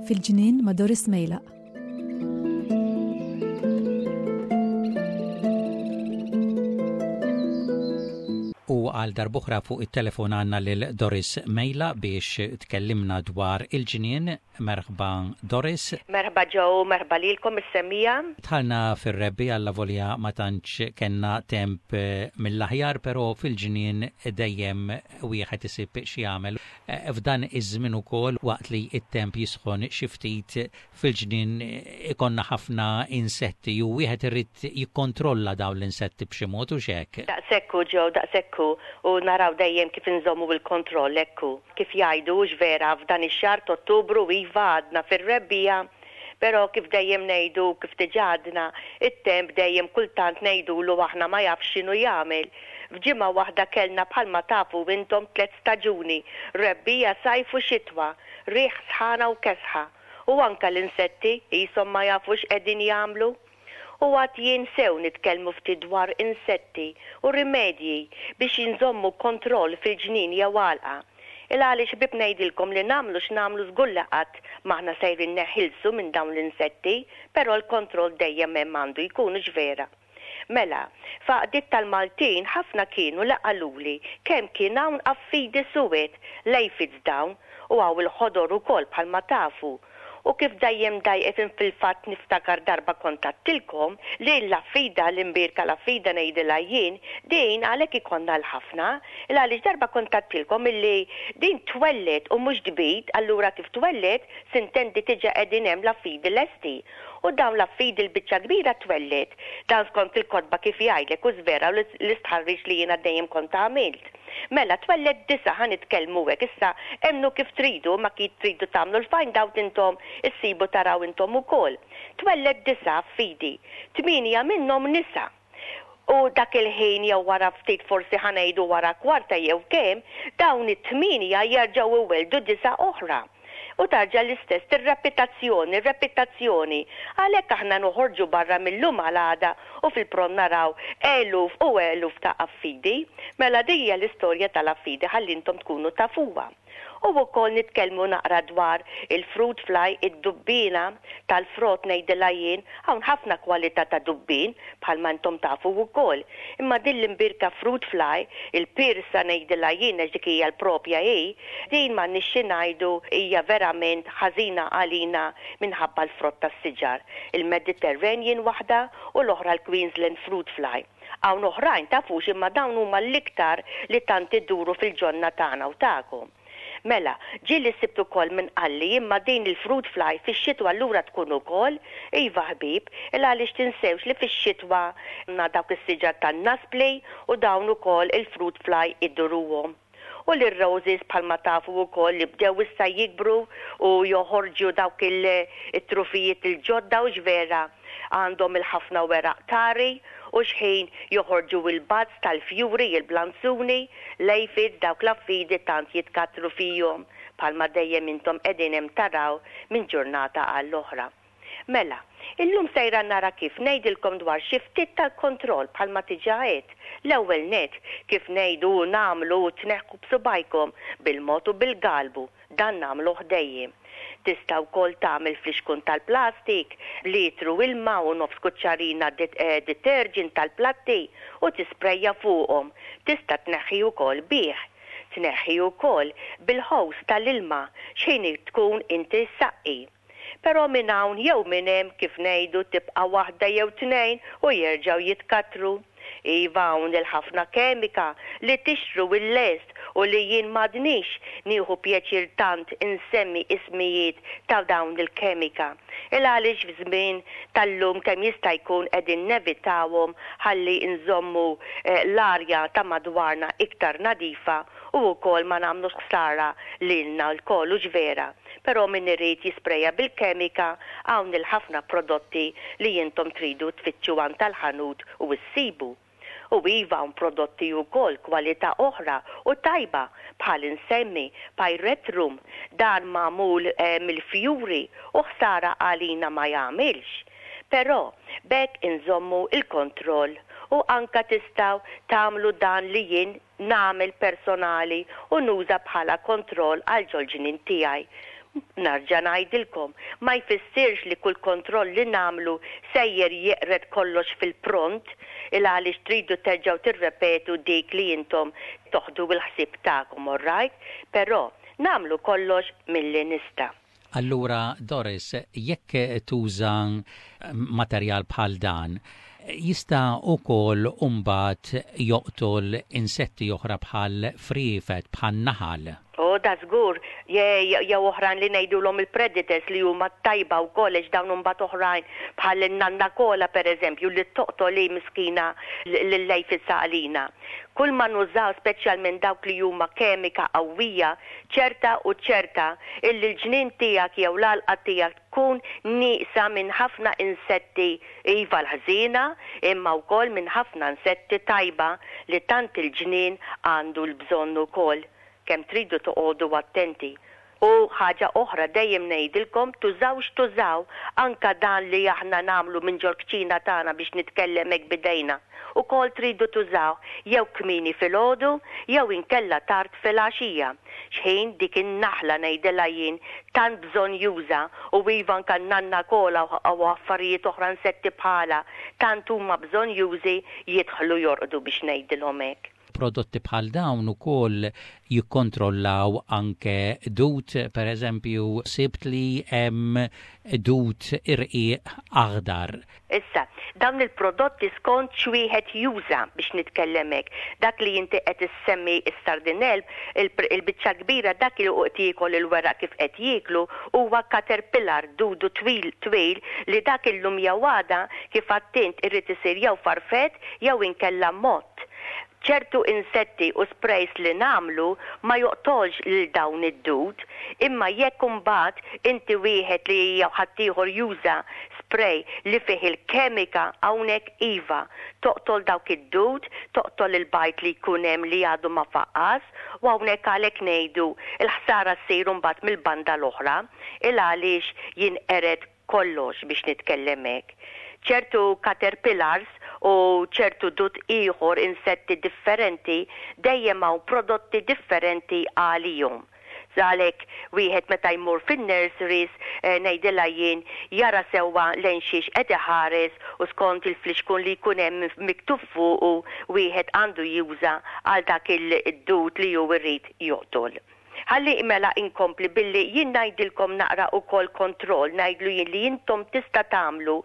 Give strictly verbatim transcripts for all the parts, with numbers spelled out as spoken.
Fil-ġnien ma' Doris Mejlaq. U għal darb'oħra fuq it-telefon għandna lil Doris Mejlaq biex tkellimna dwar il-ġnien. Merħba, Doris. Merħba Joe, merħba lilkom is-semmiegħa. Dħalna fir-rebbiegħa, allavolja ma tantx kellna temp eh, mill-aħjar, però fil-ġnien dejjem wieħed isib xi jagħmel. Eh, f'dan iż-żmien ukoll, waqt li it-temp jisħon xi ftit, fil-ġnien ikollna ħafna insetti u wieħed irid jikkontrolla dawn l-insetti b'xi mod u xek. Daqshekk hu, Joe, daqshekk hu, u naraw dejjem kif inżommu il-kontroll ekku. Kif jgħidu, vera, f'dan ix-xahar Ottubru, iva, għadna fir-rebbiegħa, però kif dejjem ngħidu, kif diġà għadna, it-temp dejjem kultant ngħidulu aħna ma jafx x'inhu jagħmel. F'ġimgħa waħda kellna, bħalma tafu intom, tliet staġuni: rebbiegħa, sajf u xitwa, riħ, sħana u kesħa. U anka l-insetti jisom ma jafux qegħdin jagħmlu. U għad jien sew nitkellmu ftit dwar insetti u rimedji biex jinżommu kontroll fil-ġnien jew għalqa. Il għaliex, ħbieb, ngħidilkom li nagħmlu x'nagħmlu, żgur li qatt m'aħna sejrin neħilsu minn dawn l-insetti, però l-kontroll dejjem hemm għandu jkun, vera. Mela, f'għaqdiet tal-Maltin ħafna kienu li qaluli kemm kien hawn affidi suwed, l-aphids dawn, u hawn il-ħodor ukoll, bħalma tafu. U kif dejjem dajqet, fil-fatt niftakar darba kont għedtilkom li l-affida, l-imbierka l-affida ngħidilha jien, din għalhekk ikollna l-ħafna, il għaliex darba kont għedtilkom illi din twelled u mhux tbid, allura kif twelled s'intendi diġà qegħdin hemm l-affidi lesti. U dawn l-affidi l-biċċa kbira twelled, dan skont il-kotba kif jgħidlek u żvera l-istħarriġ li jiena dejjem kont għamilt. Mela, twelled disa, ħa nitkellmu hekk, issa emmnu kif tridu, ma kif tridu tagħmlu l-find out intom, issibu taraw intom ukoll. Twelled disa affidi, tmienja minnhom nisa. U dak il-ħin jew wara ftit, forsi ħa ngħidu wara kwarta jew kemm, dawn it-tmienja jerġgħu iweldu disa oħra. U terġa' l-istess, ir-repetizzjoni, repetizzjoni. Għalhekk aħna noħorġu barra mill-lum għal għada u fil-pront naraw eluf u eluf ta' affidi. Mela din hija l-istorja tal-affidi, ħalli intom tkunu tafuha. U wkoll nitkellmu naqra dwar il-fruit fly, id-dubbina tal-frott ngħidilha jien, hawn ħafna kwalità ta' dubbin bħalma intom tafu wkoll. Imma din l-imbierka fruit fly, il-pirsa ngħidilha jien, għax dik hija l-propja hi, din ma nixxi ngħidu hija verament ħażina għalina minħabba l-frott tas-siġar. Il-Mediterranean waħda u l-oħra l-Queensland fruit fly. Hawn oħrajn, tafux, imma dawn huma l-iktar li tant iduru fil-ġonna tagħna u tagħkom. Mela, ġieli sibtu ukoll minn qalli, imma din il-fruit fly fix-xitwa allura tkun ukoll? Iva ħbieb, il għaliex tinsewx li fix-xitwa na dawk is-siġar tan-naspli u dawn ukoll il-fruit fly iduruhom. U l-roses, bħalma tafu wkoll, li bdew issa jikbru u joħorġu dawk il-trufijiet il-ġodda u vera għandhom il-ħafna weraq tari u xħin joħorġu il-buds tal-fjuri, il-blanzuni, l-aphids, dawk l-affidi tant jitkatru fihom, bħalma dejjem intom qegħdin hemm taraw minn ġurnata għall-oħra. Mela, illum sejra nara kif ngħidilkom dwar xi ftit tal-kontroll, bħalma diġà għedt. L-ewwel net, kif ngħidu u nagħmlu, tneħħu b'subajkom bil-mod u bil-galbu, dan nagħmlu dejjem. Tista' wkoll tagħmel flixkun tal-plastik, litru ilma u nofs kuċċarina eh, detergent tal-platti u tisprejja fuqhom. Tista' tneħħi wkoll bih. Tneħħi wkoll bil-hose tal-ilma x'ħin tkun inti saqqi. Però minn hawn jew minn hemm, kif ngħidu, tibqa' waħda jew tnejn u jerġgħu jitkatru. Iva, hawn il-ħafna kemika li tixtru il-lest u li jien m'għadnix nieħu pjaċir tant insemmi ismijiet ta' dawn il-kemika. Il għaliex f'żmien tal-lum kemm jista' jkun qegħdin nevitawhom ħalli nżommu eh, l-arja ta' madwarna iktar nadifa u wkoll ma nagħmlux ħsara lilna lkoll, u vera. Però min irid jispreja bil-kemika, hawn il-ħafna prodotti li intom tridu tfittxu għand tal-ħanut u issibu. U iva, hawn prodotti wkoll kwalità oħra u tajba, bħal insemmi pyrethrum, dan magħmul eh, mill-fjuri u ħsara għalina ma jagħmilx. Però B'hekk inżommu il-kontroll u anka tistgħu tagħmlu dan li jien nagħmel personali u nuża bħala kontroll għal ġol-ġnien tiegħi. Nerġa' ngħidilkom, ma jfissirx li kull kontroll li nagħmlu sejjer jeqred kollox fil-pront, il għaliex tridu terġgħu tirrepetu dik li intom toħdu l-ħsieb tagħkom, all right? Però nagħmlu kollox milli nista'. Allura, Doris, jekk tuża materjal bħal dan, jista' ukoll imbagħad joqtol insetti oħra bħal friefet, bħal naħal? O, da żgur, jew oħrajn li ngħidulhom il-predators li huma tajba wkoll, għax dawn imbagħad oħrajn bħal in-nanna kola pereżempju li toqtol li miskina lil-lejf għalina. Kull ma nużaw, speċjalment dawk li huma kemika qawwija, ċerta u ċerta illi l-ġnien tiegħek jew l-għalqa tiegħek tkun nieqsa minn ħafna insetti, iva l-ħżiena, imma wkoll minn ħafna insetti tajba li tant il-ġnien għandu l-bżonn ukoll. Kemm tridu toqogħdu attenti. U ħaġa oħra dejjem ngħidilkom, tużawx tużaw anka dan li aħna nagħmlu minn ġol-kċina tagħna biex nitkellem hekk bidejna. Ukoll tridu tużaw jew kmieni filgħodu jew inkella tard filgħaxija. Xħin dik in-naħla, ngħidilha jien, tant bżonn juża u iva anka nanna kola u affarijiet oħra, insetti bħala tant huma bżonn jużi, jidħlu jorqdu biex ngħidilhom hekk. Prodotti bħal dawn ukoll jikkontrollaw anke dut, per eżempju, sibt li hemm dut irqiq aħdar. Issa, dawn il-prodotti skont x'wieħed juża biex nitkellem hekk. Dak li inti qed issemmi, is-sardinell, il-biċċa kbira dak li qed jiekol il-weraq kif qed jieklu huwa caterpillar, dudu twil twil li dak illum jew għada, kif attint, irid isir jew farfett jew inkella mott. Ċertu insetti u sprays li nagħmlu ma joqtolx lil dawn id-dud, imma jekk imbagħad inti wieħed li jew ħaddieħor juża spray li fih il-kemika, hawnhekk iva, toqtol dawk id-dud, toqtol il-bajd li jkun hemm li għadu ma faqqas, u hawnhekk għalhekk ngħidu il-ħsara ssir mbagħad mill-banda l-oħra, il għaliex jinqered kollox biex nitkellem hekk. Ċertu caterpillars u ċertu dud ieħor, insetti differenti, dejjem hawn prodotti differenti għalihom. Għalhekk wieħed meta jmur fin-nurseries, eh, ngħidilha jien, jara sewwa lejn xiex qed iħares u skont il-flixkun li jkun hemm miktub fuq wieħed għandu juża għal dak il-dud li hu jrid joqtol. Ħalli mela inkompli billi jien ngħidilkom naqra ukoll kontroll, ngħidlu jien li intom tista' tagħmlu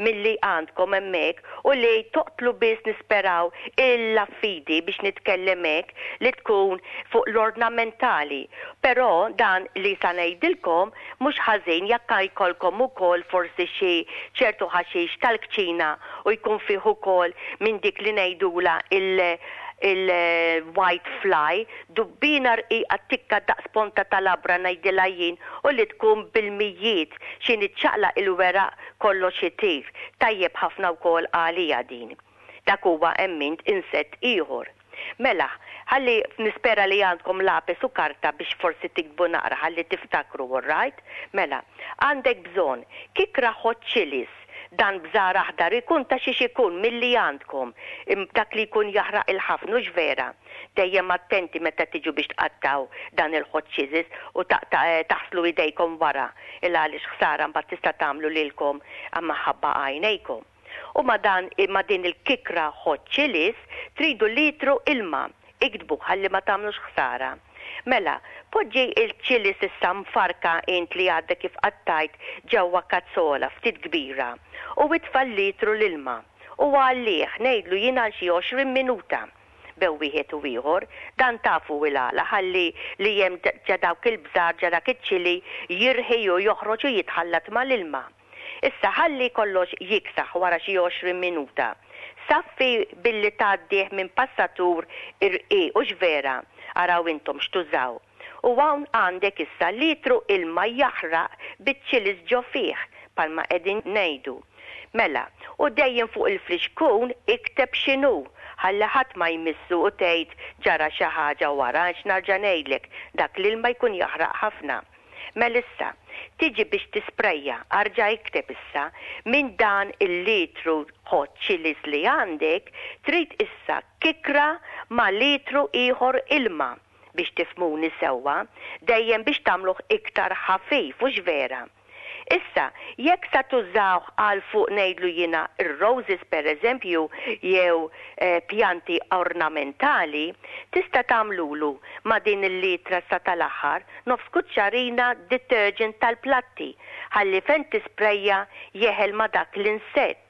milli għandkom hemmhekk u li toqtlu biss, nisperaw, il-affidi biex nitkellem hekk li tkun fuq l-ornamentali. Però dan li sa ngħidilkom mhux ħażin jekk jkollkom ukoll forsi xi ċertu ħaxix tal-kċina u jkun fih ukoll minn dik li ngħidula il- il-white fly, dubbina rqiqa tikka daqs ponta tal-labra, ngħidilha jien, u li tkun bil-mijiet xi niċċaqlaq il-weraq kollox itir. Tajjeb ħafna wkoll għalija din. Dak huwa emmint insett ieħor. Mela, ħalli nispera li għandkom lapis u karta biex forsi tiktbu naqra ħalli tiftakru, all right? Mela, għandek bżonn kikra hot chilies, dan bżar aħdar ikun ta' xiex ikun milli għandkom, dak li jkun jaħraq il-ħafna vera. Dejjem attenti meta tiġu biex tqattaw dan il-hot chilies u eh, taħslu idejkom wara, il għaliex ħsara mbagħad tista' tagħmlu lilkom minħabba għajnejkom. U ma dan ma din il-kikra hot chilies tridu litru ilma, iktbu ħalli ma tagħmlux ħsara. Mela, poġġi il-chili issa mfarka int li għadda kif qattajt ġewwa kazzola ftit kbira u itfa' litru l-ilma u għallih, ngħidlu jien, għal xi għoxrin minuta bejn wieħed u ieħor, dan tafu il-għala, ħalli li hemm ġa dawk il-bżar, ġa dak iċ-chili jirħi u joħroġ u jitħallat mal-ilma. Issa ħalli kollox jiksaħ wara xi għoxrin minuta. Saffi billi tgħaddih minn passatur irqiq u vera, araw intom x'tużaw. U hawn għandek issa litru ilma jaħraq biċ-chilies ġo fih, bħalma qegħdin ngħidu. Mela, u dejjem fuq il-flixkun ikteb x'inhu, ħalli ħadd ma jmissu u tgħid ġara xi ħaġa wara, għax nerġa' ngħidlek dak l-ilma jkun jaħraq ħafna. Mela issa, tiġi biex tisprejja, arġa' ikteb issa, minn dan il-litru hot chilies li għandek, trid issa kikra ma' litru ieħor ilma biex tifhmuni sewwa, dejjem biex tagħmluh iktar ħafif, hux vera? Issa, jekk sa tużawh għal fuq, ngħidlu jiena, ir-roses per eżempju jew eh, pjanti ornamentali, tista' tagħmlulu ma' din il-litra sa tal-aħħar nofs kuċċarina detergent tal-platti ħalli fejn tisprejja jeħel ma' dak l-insett.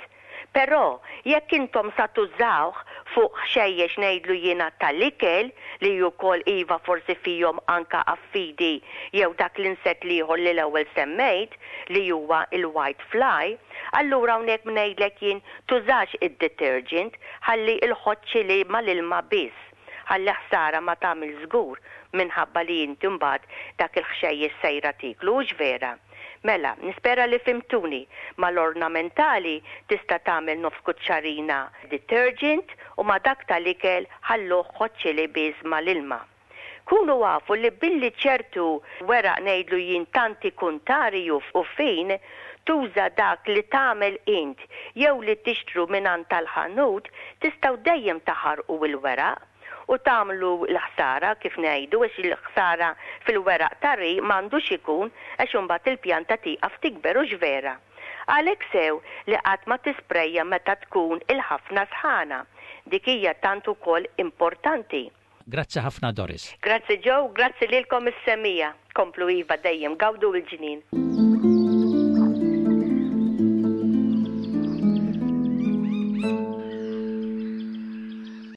Però jekk intom sa tużawh fuq ħxejjex, ngħidlu jiena, tal-ikel li wkoll iva forsi fihom anka affidi jew dak l-insett l-ieħor li l-ewwel semmejt li huwa il-white fly, allura hawnhekk ngħidlek jien tużax id-detergent, ħalli il-hot chili mal-ilma biss ħalli ħsara ma tagħmel żgur minħabba li inti mbagħad dak il-ħxejjex sejra tiklu, hux vera? Mela, nispera li fhimtuni. Mal-ornamentali tista' tagħmel nofs kuċċarina detergent u ma' dak tal-ikel ħalluh hot chili biss mal-ilma. Kunu afu li billi ċertu weraq, ngħidlu jien, tanti kuntari u fin tuża dak li tagħmel int jew li tixtru minn tal-ħanut, tistgħu dejjem taħarqu il-weraq u tagħmlu l-ħsara, kif ngħidu, għax il-ħsara fil-weraq tari m'għandux ikun, għax imbagħad il-pjanta tieqaf tikber, hux vera? Għalhekk sew li qatt ma tisprejja meta tkun il-ħafna sħana. Dik hija tant ukoll importanti. Grazzi ħafna, Doris. Grazzi Joe, grazzi lilkom is-semmiegħa. Komplu iva dejjem gawdu l-ġnien.